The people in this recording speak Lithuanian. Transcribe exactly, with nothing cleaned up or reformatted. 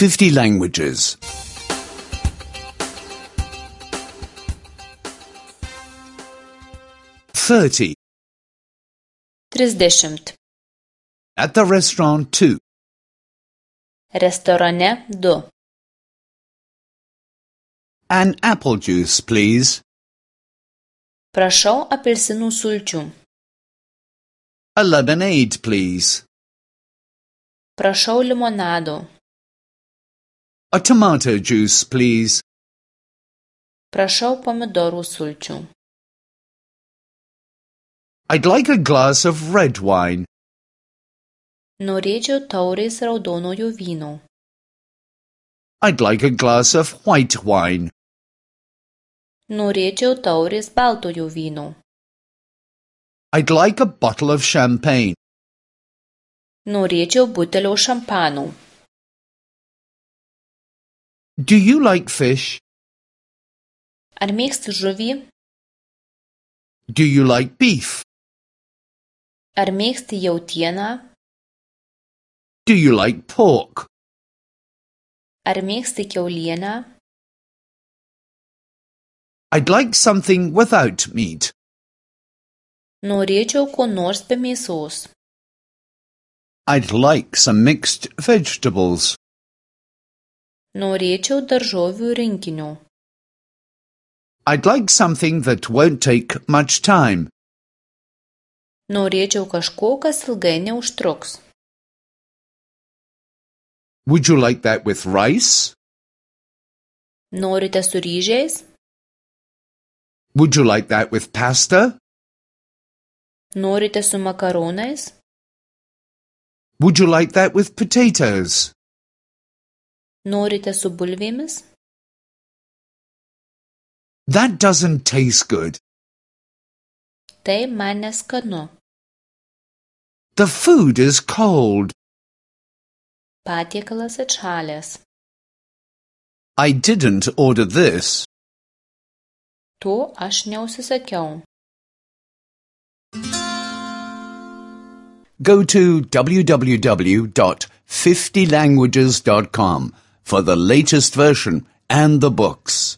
fifty languages. thirty. Trisdešimt. At the restaurant, two. Restorane du. An apple juice, please. Prašau apelsinų sulčių. A lemonade, please. Prašau limonado. A tomato juice, please. Prašau pomidorų sulčių. I'd like a glass of red wine. Norėčiau taurės raudonojo vyno. I'd like a glass of white wine. Norėčiau taurės baltojo vyno. I'd like a bottle of champagne. Norėčiau butelio šampano. Do you like fish? Ar mėgsti žuvį? Do you like beef? Ar mėgsti jautieną? Do you like pork? Ar mėgsti kiaulieną? I'd like something without meat. Norėčiau ko nors be mėsos. I'd like some mixed vegetables. Norėčiau daržovių rinkinio. I'd like something that won't take much time. Norėčiau kažko, kas ilgai neužtruks. Would you like that with rice? Norite su ryžiais? Would you like that with pasta? Norite su makaronais? Would you like that with potatoes? Norite su bulvėmis? That doesn't taste good. Tai man neskanu. The food is cold. Patiekalas atšalęs. I didn't order this. To aš neužsisakiau. Go to w w w dot fifty languages dot com for the latest version and the books.